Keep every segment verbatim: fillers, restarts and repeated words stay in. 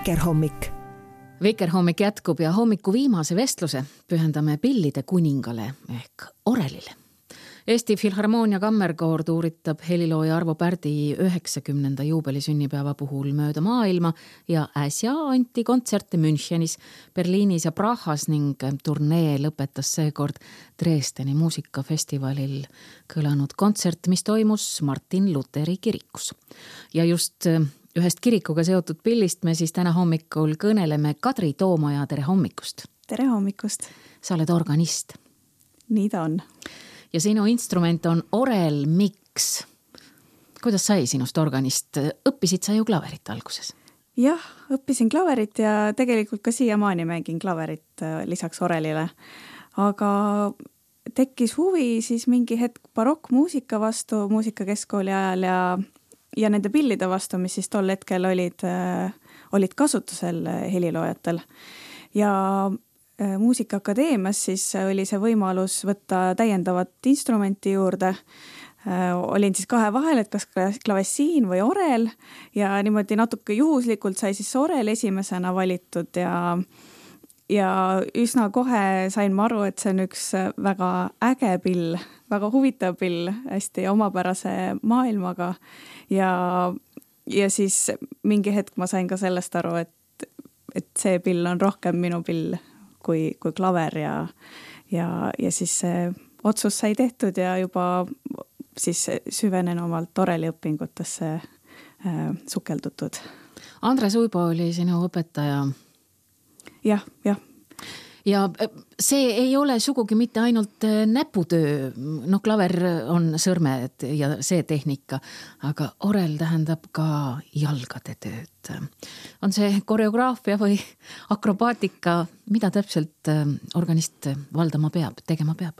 Vikerhommik. Vikerhommik jätkub ja hommiku viimase vestluse pühendame pillide kuningale ehk orelile. Eesti Filharmoonia Kammerkoor tuuritab helilooja Arvo Pärdi üheksakümnenda juubelisünnipäeva puhul mööda maailma ja äsja anti kontserte Münchenis, Berliinis ja Prahas ning turnee lõpetas seekord Dresdeni muusikafestivalil kõlanud kontsert, mis toimus Martin Luteri kirikus. Ja just ühest kirikuga seotud pillist me siis täna hommikul kõneleme Kadri Toomaja, tere hommikust! Tere hommikust! Sa oled organist. Nii ta on. Ja sinu instrument on orel, miks? Kuidas sai sinust organist? Õppisid sa ju klaverit alguses? Jah, õppisin klaverit ja tegelikult ka siiamaani mängin klaverit lisaks orelile. Aga tekkis huvi siis mingi hetk barokkmuusika vastu muusikakeskkooli ajal ja, ja nende pillide vastu, mis siis tol hetkel olid, olid kasutusel heliloojatel. Ja Muusikaakadeemias siis oli see võimalus võtta täiendavat instrumenti juurde. Olin siis kahe vahel, et kas klavessiin või orel ja niimoodi natuke juhuslikult sai siis orel esimesena valitud ja, ja üsna kohe sain ma aru, et see on üks väga äge pill, väga huvitav pill, hästi omapärase maailmaga ja, ja siis mingi hetk ma sain ka sellest aru, et, et see pill on rohkem minu pill kui, kui klaver ja, ja, ja siis see otsus sai tehtud ja juba siis süvenen omalt oreliõpingutesse äh, sukeldutud. Andres Uibo oli sinu õpetaja. Jah, jah. Ja see ei ole sugugi mitte ainult näputöö, no klaver on sõrmed ja see tehnika, aga orel tähendab ka jalgade tööd. On see koreograafia või akrobaatika, mida täpselt organist valdama peab, tegema peab?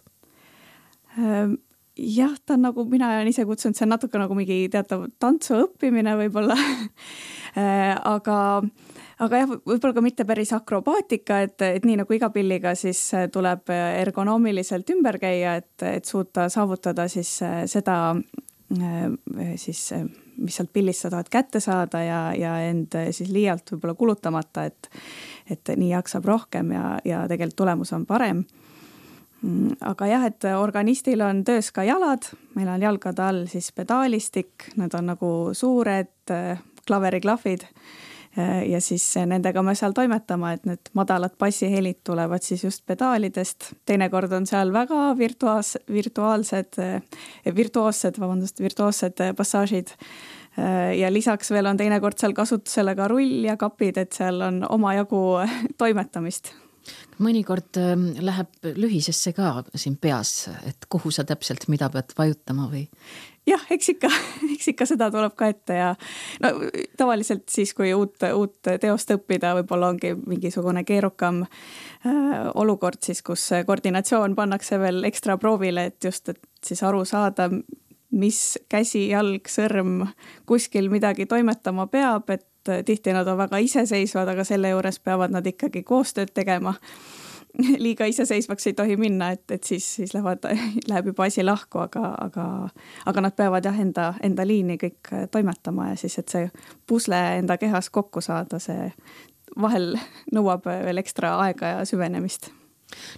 Jah, ta on nagu, mina olen ise kutsunud, see on natuke nagu mingi teatav tantsu õppimine võib-olla, aga Aga jah, võib-olla ka mitte päris akrobaatika, et, et nii nagu iga pilliga siis tuleb ergonoomiliselt ümber käia, et, et suuta saavutada siis seda, siis, mis sealt pillist sa tahad kätte saada ja, ja end siis liialt võib-olla kulutamata, et, et nii jaksab rohkem ja, ja tegelikult tulemus on parem. Aga jah, et organistil on töös ka jalad, meil on jalgade all siis pedaalistik, need on nagu suured klaveriklahvid, ja siis nendega me seal toimetama, et need madalad bassihelid tulevad siis just pedaalidest. Teinekord on seal väga virtuaas, virtuaalsed, virtuoossed, vabandust, virtuoossed passaažid. Ja lisaks veel on teinekord seal kasutusele ka rull ja kapid, et seal on omajagu toimetamist. Mõnikord läheb lühisesse ka siin peas, et kuhu sa täpselt mida pead vajutama või? Jah, eks ikka, eks ikka seda tuleb ka ette ja no, tavaliselt siis, kui uut, uut teost õppida, võib-olla ongi mingisugune keerukam äh, olukord siis, kus koordinatsioon pannakse veel ekstra proovile, et just, et siis aru saada, mis käsi, jalg, sõrm kuskil midagi toimetama peab, et tihti nad on väga iseseisvad, aga selle juures peavad nad ikkagi koostööd tegema. Liiga iseseisvaks ei tohi minna, et, et siis, siis lähevad, läheb juba asi lahku, aga, aga, aga nad peavad jah enda, enda liini kõik toimetama ja siis, et see pusle enda kehas kokku saada, see vahel nõuab veel ekstra aega ja süvenemist.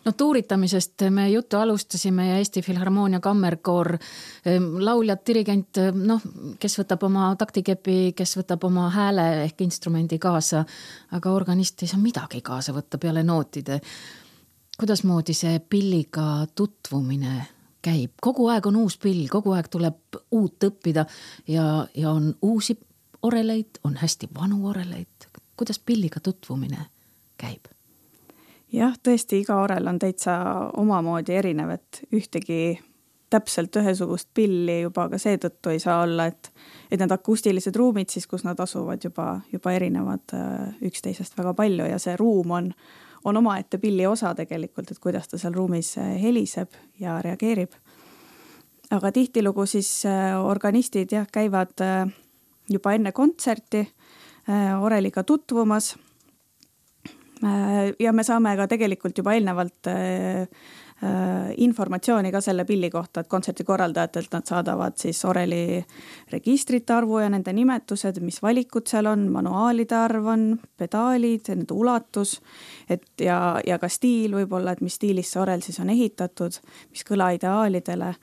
No tuuritamisest me juttu alustasime ja Eesti Filharmoonia Kammerkoor, lauljad, dirigent, noh, kes võtab oma taktikepi, kes võtab oma hääle ehk instrumendi kaasa, aga organist ei saa midagi kaasa võtta peale nootide. Kuidas moodi see pilliga tutvumine käib? Kogu aeg on uus pill, kogu aeg tuleb uut õppida ja, ja on uusi oreleid, on hästi vanu oreleid. Kuidas pilliga tutvumine käib? Jah, tõesti, iga orel on täitsa omamoodi erinev, et ühtegi täpselt ühesugust pilli juba ka seetõttu ei saa olla, et, et need akustilised ruumid siis, kus nad asuvad juba, juba erinevad üksteisest väga palju ja see ruum on, on omaette pilli osa tegelikult, et kuidas ta seal ruumis heliseb ja reageerib. Aga tihtilugu siis organistid jah, käivad juba enne kontserti oreliga tutvumas ja me saame ka tegelikult juba eelnevalt informatsiooni ka selle pilli kohta, et kontserti korraldajatelt nad saadavad siis oreli registrite arvu ja nende nimetused, mis valikud seal on, manuaalide arv on, pedaalid, nende ulatus, et ja, ja ka stiil võib-olla, et mis stiilis see orel siis on ehitatud, mis kõla ideaalidele,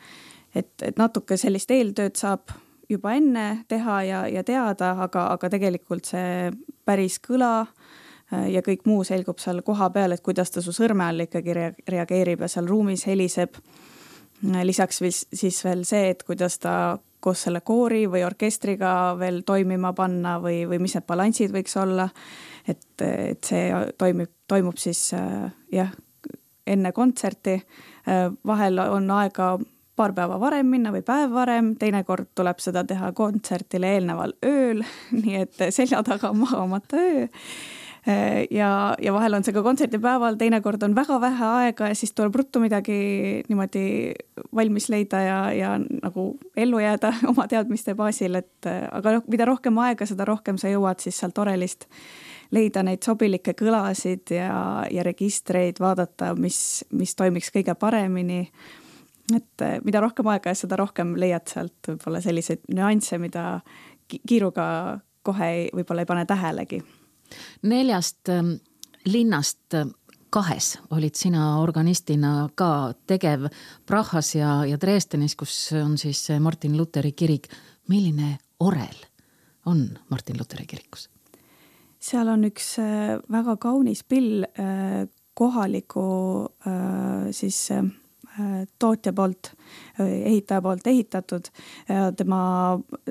et, et natuke sellist eeltööd saab juba enne teha ja, ja teada, aga, aga tegelikult see päris kõla ja kõik muu selgub seal koha peal, et kuidas ta su sõrme all ikkagi reageerib ja seal ruumis heliseb. Lisaks siis veel see, et kuidas ta koos selle koori või orkestriga veel toimima panna või, või mis need balanssid võiks olla. Et, et see toimib, toimub siis jah, enne kontserti. Vahel on aega paar päeva varem minna või päev varem, teinekord tuleb seda teha kontsertile eelneval ööl, nii et selja taga magamata öö. Ja, ja vahel on see ka kontserdipäeval, teinekord on väga vähe aega ja siis tuleb ruttu midagi niimoodi valmis leida ja, ja nagu ellu jääda oma teadmiste baasil, et aga mida rohkem aega, seda rohkem sa jõuad siis sealt orelist leida neid sobilikke kõlasid ja, ja registreid, vaadata, mis, mis toimiks kõige paremini. Et mida rohkem aega, seda rohkem leiad sealt võib-olla selliseid nüansse, mida kiiruga kohe ei, võib-olla ei pane tähelegi. Neljast linnast kahes olid sina organistina ka tegev Prahas ja, ja Dresdenis, kus on siis Martin Lutheri kirik. Milline orel on Martin Lutheri kirikus? Seal on üks väga kaunis pill kohaliku siis tootja poolt, ehitaja poolt ehitatud. Tema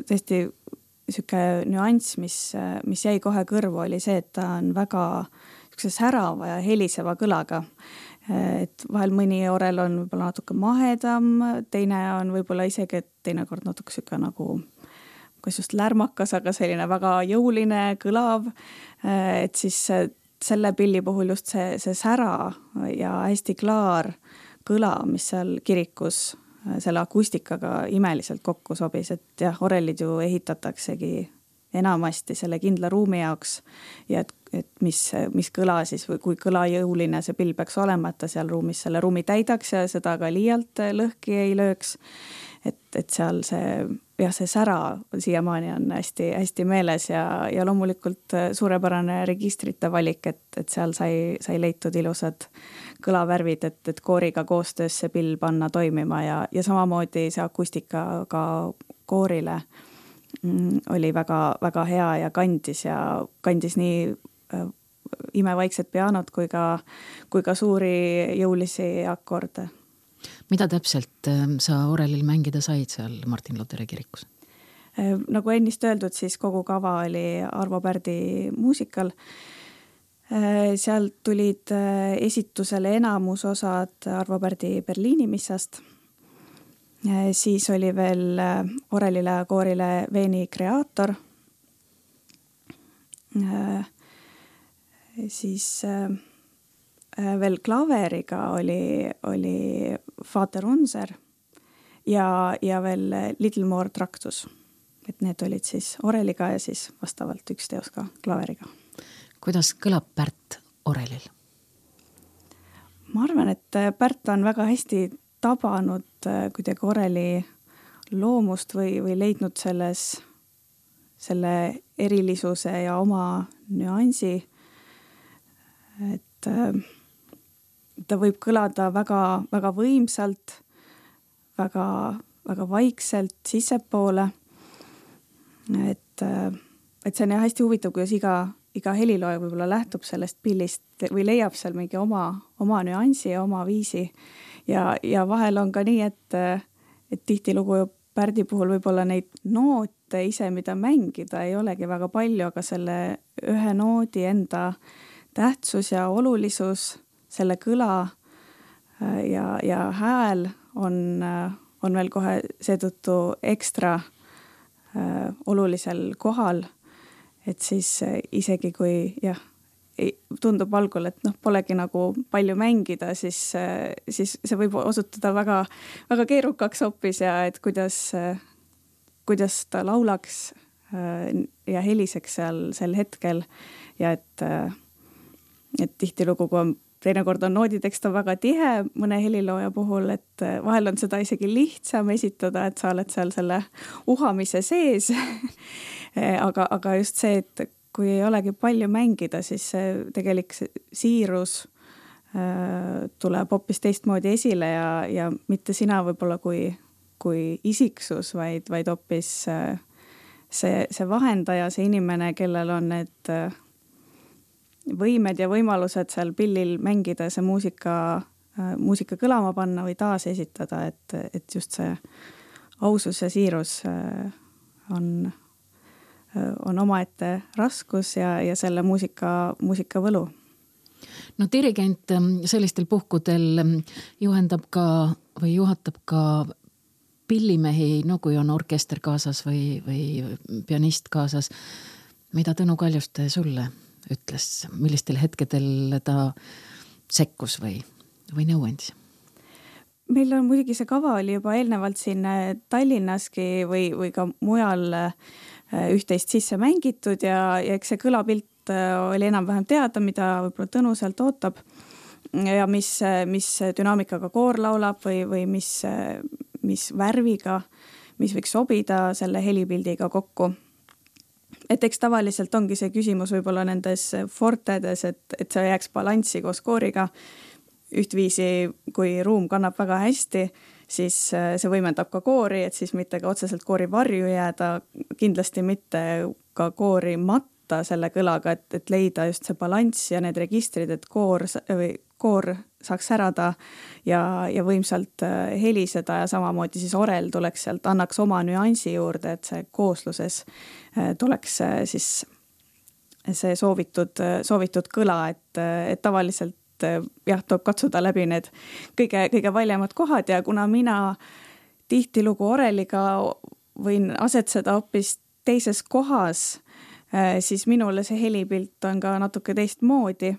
tõesti siuke nüanss, mis, mis jäi kohe kõrvu, oli see, et ta on väga särava ja heliseva kõlaga. Et vahel mõni orel on võib-olla natuke mahedam, teine on võib-olla isegi, et teinekord natuke siuke nagu kas just lärmakas, aga selline väga jõuline, kõlav. Et siis selle pilli puhul just see, see sära ja hästi klaar kõla, mis seal kirikus selle akustikaga imeliselt kokku sobis, et jah, orelid ju ehitataksegi enamasti selle kindla ruumi jaoks ja et, et mis, mis kõla siis või kui kõlajõuline see pill peaks olema, et ta seal ruumis selle ruumi täidaks ja seda ka liialt lõhki ei lööks. Et, et seal see, jah, see sära siiamaani on hästi, hästi meeles ja, ja loomulikult suurepärane registrite valik, et, et seal sai, sai leitud ilusad kõlavärvid, et, et kooriga koostöös see pill panna toimima ja, ja samamoodi see akustika ka koorile mm, oli väga, väga hea ja kandis ja kandis nii äh, imevaiksed pianot kui ka, kui ka suuri jõulisi akorde. Mida täpselt sa orelil mängida said seal Martin Lutheri kirikus? Nagu ennist öeldud, siis kogu kava oli Arvo Pärdi muusikal. Sealt tulid esitusele enamus osad Arvo Pärdi Berliini missast. Siis oli veel orelile ja koorile Veeni kreaator. Siis veel klaveriga oli, oli Vater Unser ja, ja veel Little More Tractus. Et need olid siis oreliga ja siis vastavalt üks teos ka klaveriga. Kuidas kõlab Pärt orelil? Ma arvan, et Pärt on väga hästi tabanud kuidagi oreli loomust või, või leidnud selles, selle erilisuse ja oma nüansi. Et ta võib kõlada väga, väga võimsalt, väga, väga vaikselt sissepoole. Et, et see on hästi huvitav, kuidas iga, iga helilooja võib-olla lähtub sellest pillist või leiab seal mingi oma, oma nüansi ja oma viisi. Ja, ja vahel on ka nii, et, et tihti lugu Pärdi puhul võib-olla neid noote ise, mida mängida ei olegi väga palju, aga selle ühe noodi enda tähtsus ja olulisus, selle kõla ja, ja hääl on, on veel kohe seetõttu ekstra äh, olulisel kohal, et siis isegi kui jah, tundub algul, et noh, polegi nagu palju mängida, siis, siis see võib osutuda väga, väga keerukaks hoopis ja et kuidas, kuidas ta laulaks ja heliseks seal sel hetkel ja et, et tihtilugu, kui on teinekord on nooditekst on väga tihe mõne helilooja puhul, et vahel on seda isegi lihtsam esitada, et sa oled seal selle uhamise sees. aga, aga just see, et kui ei olegi palju mängida, siis see tegelik siirus äh, tuleb hoopis teistmoodi esile ja, ja mitte sina võib-olla kui, kui isiksus, vaid, vaid hoopis äh, see, see vahendaja, see inimene, kellel on need äh, võimed ja võimalused seal pillil mängida, see muusika, äh, muusika kõlama panna või taas esitada, et, et just see ausus ja siirus äh, on on omaette raskus ja, ja selle muusika, muusika võlu. No dirigent sellistel puhkudel juhendab ka või juhatab ka pillimehi, no kui on orkester kaasas või, või pianist kaasas. Mida Tõnu Kaljuste sulle ütles? Millistel hetkedel ta sekkus või, või nõuandis? Meil on muidugi see kava oli juba eelnevalt siin Tallinnaski või, või ka mujal üht-teist sisse mängitud ja, ja eks see kõlapilt oli enam-vähem teada, mida võib-olla Tõnu sealt ootab ja mis, mis dünaamikaga koor laulab või, või mis, mis värviga, mis võiks sobida selle helipildiga kokku. Et eks tavaliselt ongi see küsimus võib-olla nendes fortedes, et, et see jääks balanssi koos kooriga. Ühtviisi, kui ruum kannab väga hästi, siis see võimendab ka koori, et siis mitte ka otseselt koori varju jääda, kindlasti mitte ka koori matta selle kõlaga, et, et leida just see balanss ja need registrid, et koor, või koor saaks särada ja, ja võimsalt heliseda ja samamoodi siis orel tuleks sealt, annaks oma nüansi juurde, et see koosluses tuleks siis see soovitud, soovitud kõla, et, et tavaliselt jah, tuleb katsuda läbi need kõige, kõige valjemad kohad ja kuna mina tihtilugu oreliga võin asetseda hoopis teises kohas, siis minule see helipilt on ka natuke teistmoodi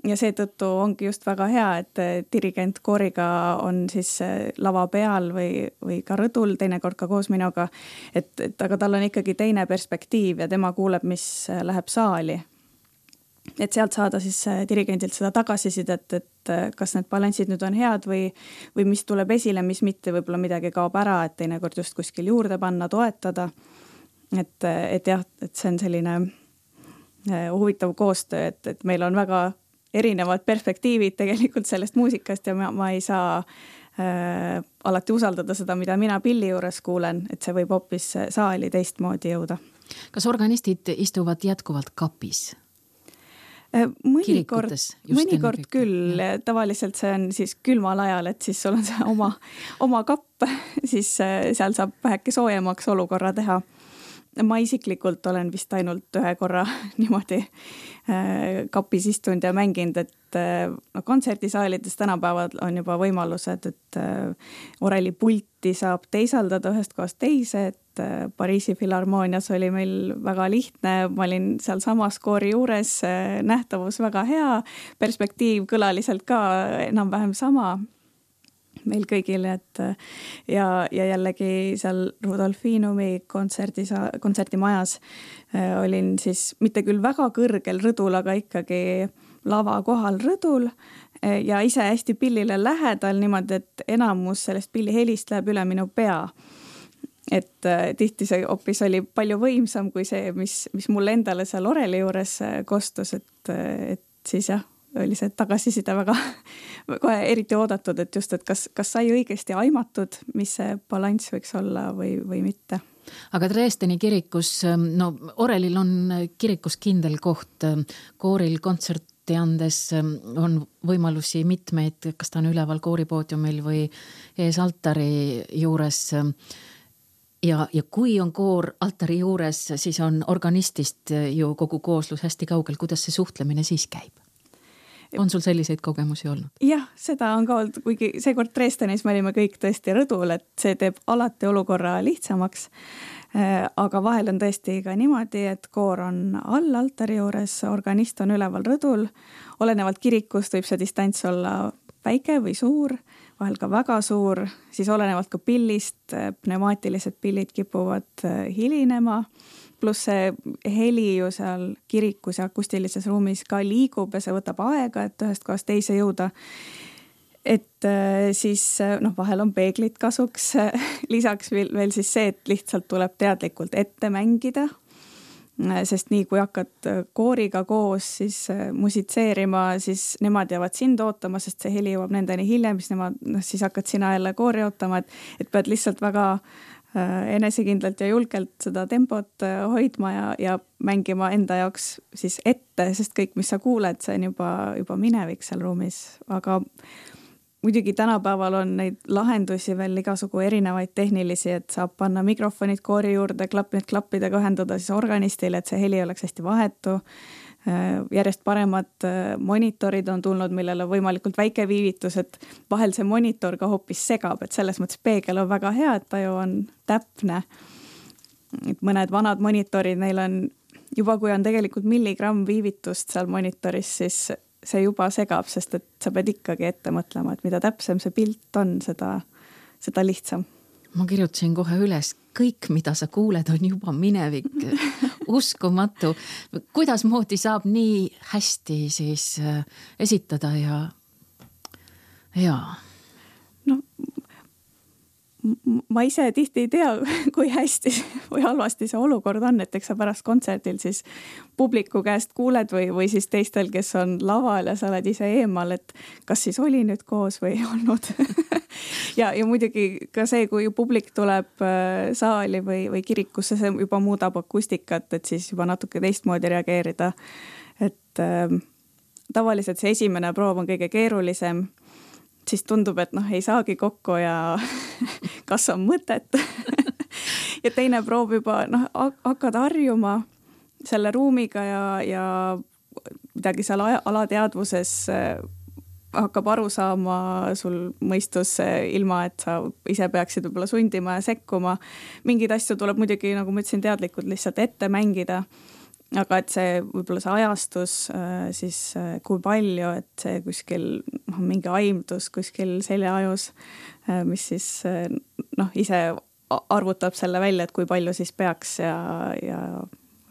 ja seetõttu ongi just väga hea, et dirigent kooriga on siis lava peal või, või ka rõdul, teinekord ka koos minuga, et, et aga tal on ikkagi teine perspektiiv ja tema kuuleb, mis läheb saali. Et sealt saada siis dirigendilt seda tagasisidet, et kas need balansid nüüd on head või, või mis tuleb esile, mis mitte, võib-olla midagi kaob ära, et teinekord just kuskil juurde panna, toetada. Et, et jah, et see on selline huvitav koostöö, et, et meil on väga erinevad perspektiivid tegelikult sellest muusikast ja ma, ma ei saa äh, alati usaldada seda, mida mina pilli juures kuulen, et see võib hoopis saali teistmoodi jõuda. Kas organistid istuvad jätkuvalt kapis? Mõnikord, mõnikord küll, tavaliselt see on siis külmal ajal, et siis sul on see oma, oma kapp, siis seal saab väheke soojemaks olukorra teha. Ma isiklikult olen vist ainult ühe korra niimoodi kapis istunud ja mänginud, et no, kontserdisaalides tänapäeval on juba võimalused, et oreli pulti saab teisaldada ühest kohast teise, et Pariisi Filharmoonias oli meil väga lihtne, ma olin seal samas koori juures, nähtavus väga hea, perspektiiv kõlaliselt ka enam-vähem sama meil kõigile, et ja, ja jällegi seal Rudolfinumi kontserdi, kontserdimajas olin siis mitte küll väga kõrgel rõdul, aga ikkagi lava kohal rõdul ja ise hästi pillile lähedal niimoodi, et enamus sellest pilli helist läheb üle minu pea. Et tihti see hoopis oli palju võimsam kui see, mis, mis mulle endale seal oreli juures kostus, et, et siis jah, oli see tagasiside väga kohe eriti oodatud, et just, et kas, kas sai õigesti aimatud, mis see balanss võiks olla või, või mitte. Aga Dresdeni kirikus, no orelil on kirikus kindel koht, kooril kontserti andes on võimalusi mitmeid, kas ta on üleval kooripoodiumil või ees altari juures. Ja, ja kui on koor altari juures, siis on organistist ju kogu kooslus hästi kaugel, kuidas see suhtlemine siis käib? On sul selliseid kogemusi olnud? Jah, seda on ka olnud, kuigi seekord Dresdenis me olime kõik tõesti rõdul, et see teeb alati olukorra lihtsamaks. Aga vahel on tõesti ka niimoodi, et koor on all altari juures, organist on üleval rõdul. Olenevalt kirikust võib see distants olla väike või suur, vahel ka väga suur, siis olenevalt ka pillist, pneumaatilised pillid kipuvad hilinema. pluss see heli ju seal kirikus ja akustilises ruumis ka liigub ja see võtab aega, et ühest kohast teise jõuda. Et siis noh, vahel on peeglid kasuks, lisaks veel, veel siis see, et lihtsalt tuleb teadlikult ette mängida, sest nii kui hakkad kooriga koos siis musitseerima, siis nemad jäävad sind ootama, sest see heli jõuab nendeni hiljem, siis nemad, noh, siis hakkad sina jälle koori ootama, et, et pead lihtsalt väga enesekindlalt ja julgelt seda tempot hoidma ja, ja mängima enda jaoks siis ette, sest kõik, mis sa kuuled, see on juba, juba minevik seal ruumis, aga muidugi tänapäeval on neid lahendusi veel igasugu erinevaid tehnilisi, et saab panna mikrofonid koori juurde, klapp, need klappidega ühendada siis organistile, et see heli oleks hästi vahetu. Järjest paremad monitorid on tulnud, millel on võimalikult väike viivitus, et vahel see monitor ka hoopis segab, et selles mõttes peegel on väga hea, et ta ju on täpne. Et mõned vanad monitorid, neil on juba, kui on tegelikult milligramm viivitust seal monitoris, siis see juba segab, sest et sa pead ikkagi ette mõtlema, et mida täpsem see pilt on, seda, seda lihtsam. Ma kirjutasin kohe üles, kõik, mida sa kuuled, on juba minevik. Uskumatu. Kuidas moodi saab nii hästi siis esitada ja ja no ma ise tihti ei tea, kui hästi või halvasti see olukord on, et eks sa pärast kontserdil siis publiku käest kuuled või, või siis teistel, kes on laval ja sa oled ise eemal, et kas siis oli nüüd koos või ei olnud. ja, ja muidugi ka see, kui publik tuleb saali või, või kirikusse, see juba muudab akustikat, et siis juba natuke teistmoodi reageerida. Et äh, tavaliselt see esimene proov on kõige keerulisem, siis tundub, et noh, ei saagi kokku ja kas on mõtet. ja teine proov juba, noh, hakkad harjuma selle ruumiga ja, ja midagi seal alateadvuses hakkab aru saama sul mõistus ilma, et sa ise peaksid võib-olla sundima ja sekkuma. Mingid asju tuleb muidugi, nagu ma ütlesin, teadlikult lihtsalt ette mängida. Aga et see võib-olla see ajastus, siis kui palju, et see kuskil noh, mingi aimdus kuskil seljaajus, mis siis noh, ise arvutab selle välja, et kui palju siis peaks ja, ja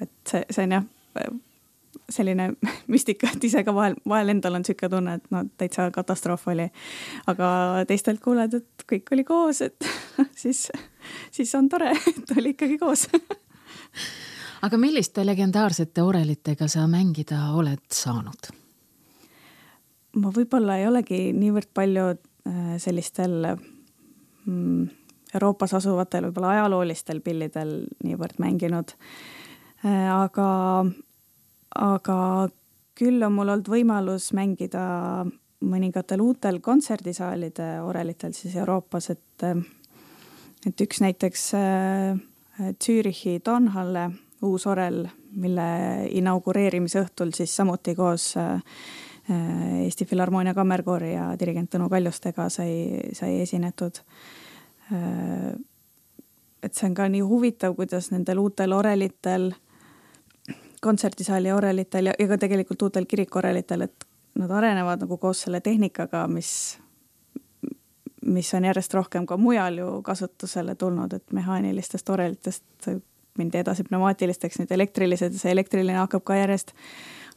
et see, see on jah selline müstika, et ise ka vahel, vahel endal on siuke tunne, et no täitsa katastroof oli. Aga teistelt kuuled, et kõik oli koos, et siis, siis on tore, et oli ikkagi koos. Aga milliste legendaarsete orelitega sa mängida oled saanud? Ma võib-olla ei olegi niivõrd palju sellistel Euroopas asuvatel võib-olla ajaloolistel pillidel niivõrd mänginud. Aga, aga küll on mul olnud võimalus mängida mõningatel uutel kontserdisaalide orelitel siis Euroopas, et, et üks näiteks Zürichi Tonhalle uus orel, mille inaugureerimise õhtul siis samuti koos Eesti Filharmoonia Kammerkoori ja dirigent Tõnu Kaljustega sai, sai esinetud. Et see on ka nii huvitav, kuidas nendel uutel orelitel, kontserdisaali orelitel ja, ja ka tegelikult uutel kirikorelitel, et nad arenevad nagu koos selle tehnikaga, mis, mis on järjest rohkem ka mujal ju kasutusele tulnud, et mehaanilistest orelitest mindi edasi pneumaatilisteks, nüüd elektrilised ja see elektriline hakkab ka järjest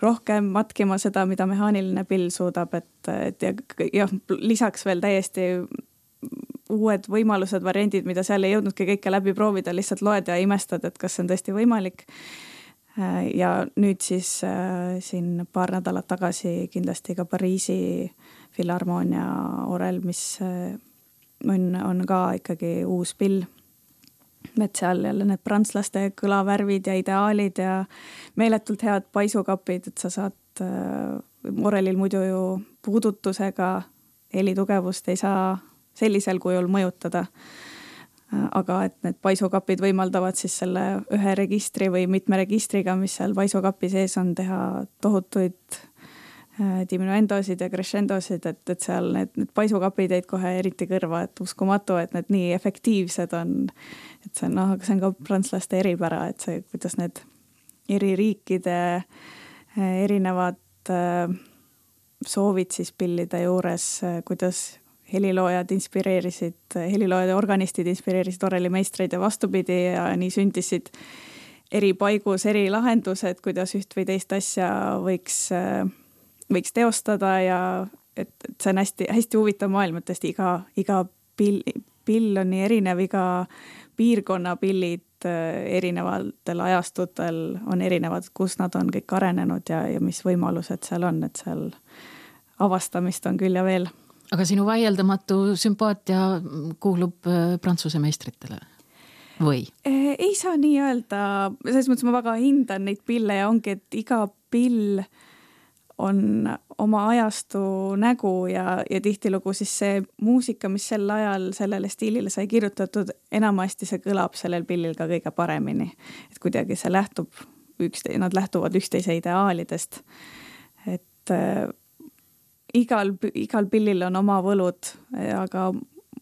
rohkem matkima seda, mida mehaaniline pill suudab, et, et ja, ja lisaks veel täiesti uued võimalused, variandid, mida seal ei jõudnudki kõike läbi proovida, lihtsalt loed ja imestad, et kas see on tõesti võimalik. Ja nüüd siis äh, siin paar nädalat tagasi kindlasti ka Pariisi Filharmoonia orel, mis äh, on, on ka ikkagi uus pill. Et seal jälle need prantslaste kõlavärvid ja ideaalid ja meeletult head paisukapid, et sa saad äh, orelil muidu ju puudutusega helitugevust ei saa sellisel kujul mõjutada. Äh, aga et need paisukapid võimaldavad siis selle ühe registri või mitme registriga, mis seal paisukapi sees on, teha tohutuid äh, diminuendosid ja crescendosid, et, et seal need, need paisukapid jäid kohe eriti kõrva, et uskumatu, et need nii efektiivsed on. Et see on, no, see on ka prantslaste eripära, et see, kuidas need eri riikide erinevad soovid siis pillide juures, kuidas heliloojad inspireerisid, heliloojad ja organistid inspireerisid orelimeistreid ja vastupidi ja nii sündisid eri paigus, eri lahendused, kuidas üht või teist asja võiks, võiks teostada ja et, et see on hästi, hästi huvitav maailm, et tõesti iga, iga pill, pill on nii erinev, iga piirkonna pillid erinevatel ajastutel on erinevad, kus nad on kõik arenenud ja, ja mis võimalused seal on, et seal avastamist on küll ja veel. Aga sinu vaieldamatu sümpaatia kuulub Prantsuse meistritele või? Ei saa nii öelda, selles mõttes ma väga hindan neid pille ja ongi, et iga pill on oma ajastu nägu ja, ja tihtilugu siis see muusika, mis sel ajal sellele stiilile sai kirjutatud, enamasti see kõlab sellel pillil ka kõige paremini. Et kuidagi see lähtub, ükste, nad lähtuvad üksteise ideaalidest. Et äh, igal, igal pillil on oma võlud, aga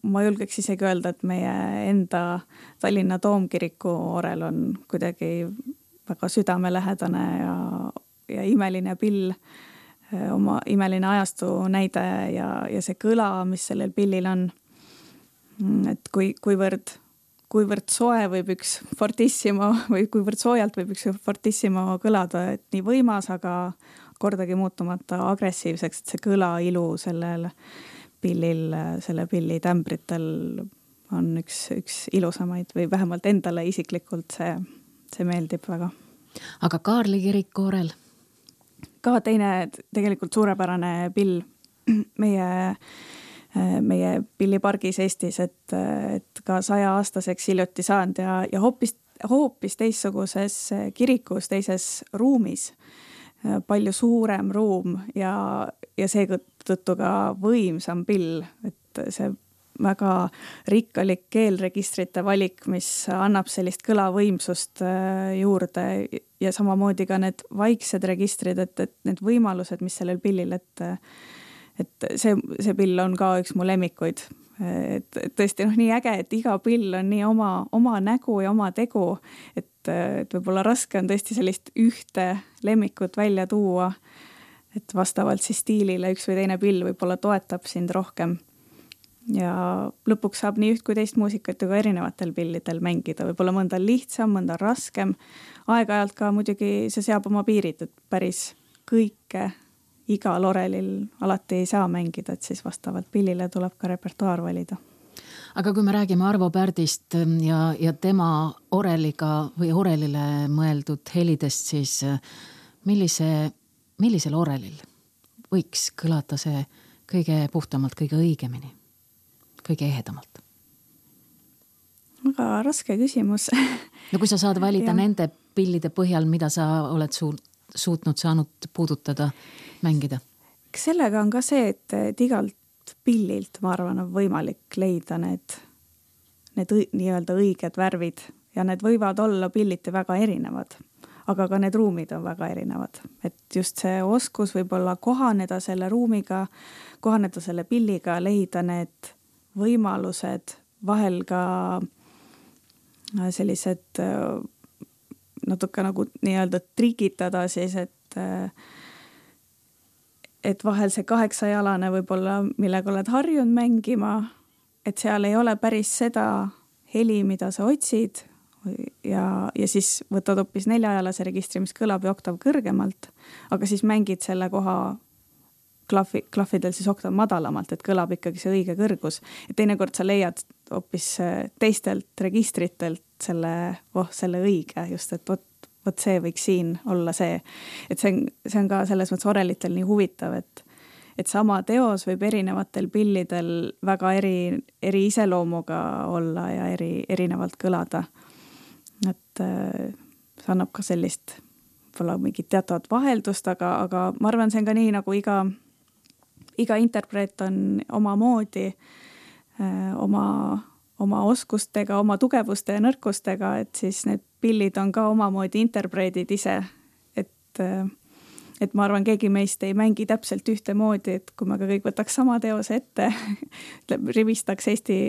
ma julgeks isegi öelda, et meie enda Tallinna Toomkiriku orel on kuidagi väga südamelähedane ja, ja imeline pill, oma imeline ajastu näide ja, ja see kõla, mis sellel pillil on, et kui, kuivõrd, kuivõrd soe võib üks fortissimo või kuivõrd soojalt võib üks fortissimo kõlada, et nii võimas, aga kordagi muutumata agressiivseks, et see kõla ilu sellel pillil, selle pilli tämbritel on üks, üks ilusamaid või vähemalt endale isiklikult see, see meeldib väga. Aga Kaarli kiriku orel? Ka teine tegelikult suurepärane pill meie, meie pillipargis Eestis, et, et ka saja aastaseks hiljuti saanud ja, ja hoopis, hoopis teistsuguses kirikus, teises ruumis, palju suurem ruum ja, ja seetõttu ka võimsam pill, et see väga rikkalik keelregistrite valik, mis annab sellist kõlavõimsust juurde ja samamoodi ka need vaiksed registrid, et, et need võimalused, mis sellel pillil, et, et see, see pill on ka üks mu lemmikuid. Et, et tõesti noh, nii äge, et iga pill on nii oma, oma nägu ja oma tegu, et, et võib-olla raske on tõesti sellist ühte lemmikut välja tuua, et vastavalt siis stiilile üks või teine pill võib-olla toetab sind rohkem. Ja lõpuks saab nii üht kui teist muusikat ju ka erinevatel pillidel mängida, võib-olla mõnda lihtsam, mõnda raskem. Aeg-ajalt ka muidugi see seab oma piirid, et päris kõike igal orelil alati ei saa mängida, et siis vastavalt pillile tuleb ka repertuaar valida. Aga kui me räägime Arvo Pärdist ja, ja tema oreliga või orelile mõeldud helidest, siis millise, millisel orelil võiks kõlata see kõige puhtamalt, kõige õigemini? Kõige ehedamalt? Väga raske küsimus. No kui sa saad valida nende pillide põhjal, mida sa oled su- suutnud saanud puudutada, mängida? Sellega on ka see, et, et igalt pillilt, ma arvan, on võimalik leida need, need õi, nii-öelda õiged värvid ja need võivad olla pilliti väga erinevad, aga ka need ruumid on väga erinevad. Et just see oskus võib-olla kohaneda selle ruumiga, kohaneda selle pilliga, leida need võimalused, vahel ka sellised natuke nagu nii-öelda trikitada siis, et et vahel see kaheksajalane võib-olla, millega oled harjunud mängima, et seal ei ole päris seda heli, mida sa otsid ja, ja siis võtad hoopis neljajalase registri, mis kõlab ja oktav kõrgemalt, aga siis mängid selle koha klahvi, klahvidel siis oktav madalamalt, et kõlab ikkagi see õige kõrgus. Et teinekord sa leiad hoopis teistelt registritelt selle, oh, selle õige, just, et võt, võt see võiks siin olla see. Et see on, see on ka selles mõttes orelitel nii huvitav, et, et sama teos võib erinevatel pillidel väga eri, eri iseloomuga olla ja eri, erinevalt kõlada. Et see annab ka sellist võib-olla mingit teatavat vaheldust, aga, aga ma arvan, see on ka nii, nagu iga iga interpreet on oma moodi, oma, oma oskustega, oma tugevuste ja nõrkustega, et siis need pillid on ka omamoodi interpreedid ise. Et, et ma arvan, keegi meist ei mängi täpselt ühte moodi, et kui me ka kõik võtaks sama teose ette, rivistaks Eesti,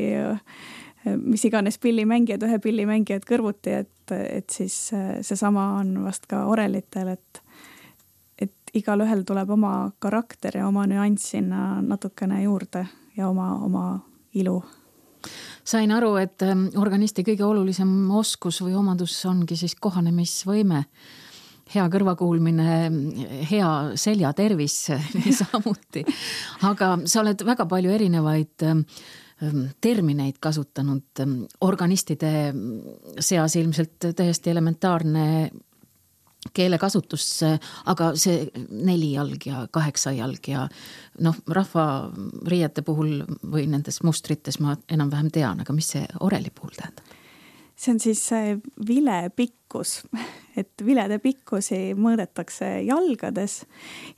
mis iganes pillimängijad, ühe pillimängijad kõrvuti, et, et siis see sama on vast ka orelitel, et igal ühel tuleb oma karakter ja oma nüanss sinna natukene juurde ja oma, oma ilu. Sain aru, et organisti kõige olulisem oskus või omadus ongi siis kohanemisvõime, hea kõrvakuulmine, hea seljatervis niisamuti. Aga sa oled väga palju erinevaid termineid kasutanud organistide seas, ilmselt täiesti elementaarne keelekasutus, aga see neli jalg ja kaheksa jalg ja noh, rahva riiete puhul või nendes mustrites ma enam-vähem tean, aga mis see oreli puhul tähendab? See on siis vile pikkus, et vilede pikkusi mõõdetakse jalgades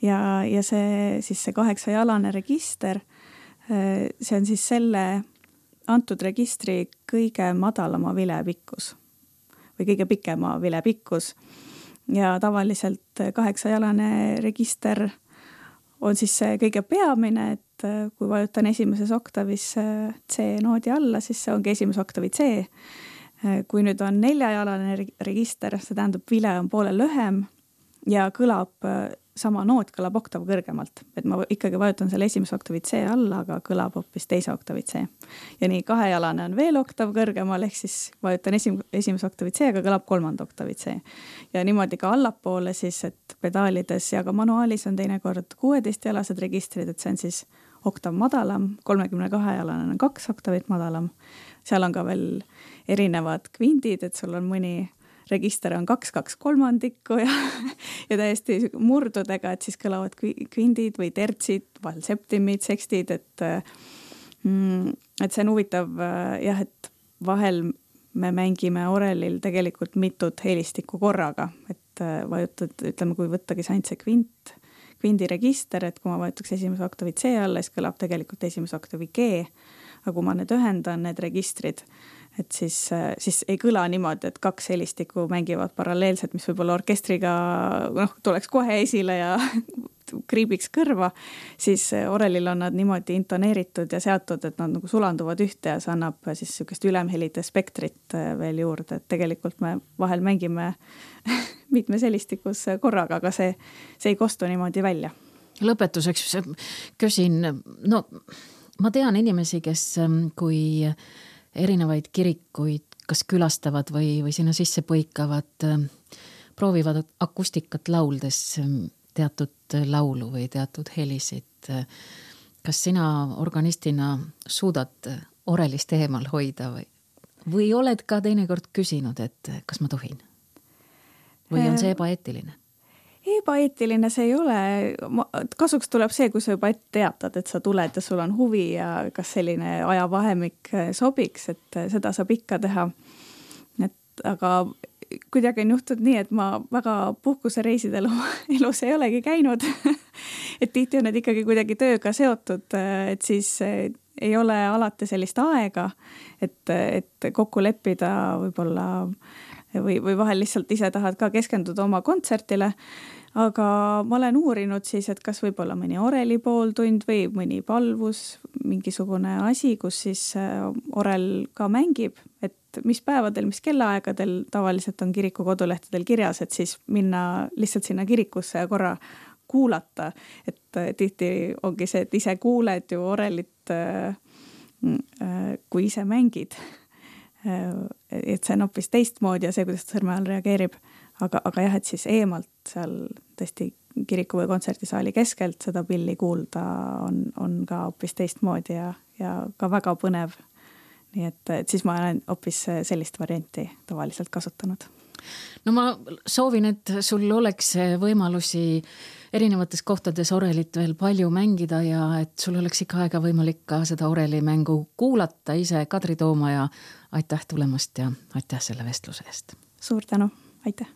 ja, ja see, siis see kaheksajalane register, see on siis selle antud registri kõige madalama vile pikkus või kõige pikema vile pikkus. Ja tavaliselt kaheksajalane register on siis see kõige peamine, et kui vajutan esimeses oktavis C noodi alla, siis see ongi esimese oktavi C. Kui nüüd on neljajalane register, see tähendab vile on poole lühem ja kõlab, sama noot kõlab oktav kõrgemalt. Et ma ikkagi vajutan selle esimese oktavi C alla, aga kõlab hoopis teise oktavi C. Ja nii kahejalane on veel oktav kõrgemal, ehk siis vajutan esim, esimese oktavi C, aga kõlab kolmanda oktavi C. Ja niimoodi ka allapoole siis, et pedaalides ja ka manuaalis on teinekord kuueteistjalased registrid, et see on siis oktav madalam, kolmekümne kahe jalane on kaks oktavit madalam. Seal on ka veel erinevad kvindid, et sul on mõni register on kaks, kaks kolmandikku ja, ja täiesti murdudega, et siis kõlavad kvindid või tertsid, vahel septimid, sekstid, et, mm, et see on huvitav jah, et vahel me mängime orelil tegelikult mitut helistikku korraga, et vajutad, ütleme, kui võttagi saint see kvint, kvindiregister, et kui ma vajutaks esimese oktavi C alla, siis kõlab tegelikult esimese oktavi G, aga kui ma need ühendan, need registrid, et siis, siis ei kõla niimoodi, et kaks helistikku mängivad paralleelselt, mis võib-olla orkestriga noh, tuleks kohe esile ja kriibiks kõrva, siis orelil on nad niimoodi intoneeritud ja seatud, et nad nagu sulanduvad ühte ja see annab siis sükest ülemhelide spektrit veel juurde, et tegelikult me vahel mängime mitmes helistikus korraga, aga see, see ei kostu niimoodi välja. Lõpetuseks küsin, no ma tean inimesi, kes kui erinevaid kirikuid kas külastavad või, või sinna sisse põikavad, proovivad akustikat lauldes teatud laulu või teatud helisid. Kas sina organistina suudad orelist eemal hoida või, või oled ka teinekord küsinud, et kas ma tohin? Või on see ebaeetiline? Ebaeetiline see ei ole. Kasuks tuleb see, kui sa juba ette teatad, et sa tuled ja sul on huvi ja kas selline ajavahemik sobiks, et seda saab ikka teha. Et, aga kuidagi on juhtunud nii, et ma väga puhkusereisidel oma elus ei olegi käinud. Et tihti on need ikkagi kuidagi tööga seotud, et siis ei ole alati sellist aega, et, et kokku leppida võib-olla või, või vahel lihtsalt ise tahad ka keskenduda oma kontsertile, aga ma olen uurinud siis, et kas võib-olla mõni oreli pooltund või mõni palvus, mingisugune asi, kus siis orel ka mängib, et mis päevadel, mis kellaaegadel tavaliselt on kiriku kodulehtedel kirjas, et siis minna lihtsalt sinna kirikusse ja korra kuulata, et tihti ongi see, et ise kuuled ju orelit, kui ise mängid. Et see on hoopis teistmoodi ja see, kuidas ta sõrme all reageerib, aga, aga jah, et siis eemalt seal tõesti kiriku või kontserdisaali keskelt seda pilli kuulda on, on ka hoopis teistmoodi ja, ja ka väga põnev. Nii et, et siis ma olen hoopis sellist varianti tavaliselt kasutanud. No ma soovin, et sul oleks võimalusi erinevates kohtades orelit veel palju mängida ja et sul oleks ikka aega võimalik ka seda orelimängu kuulata ise. Kadri Toomaja, aitäh tulemast ja aitäh selle vestluse eest. Suur tänu, aitäh!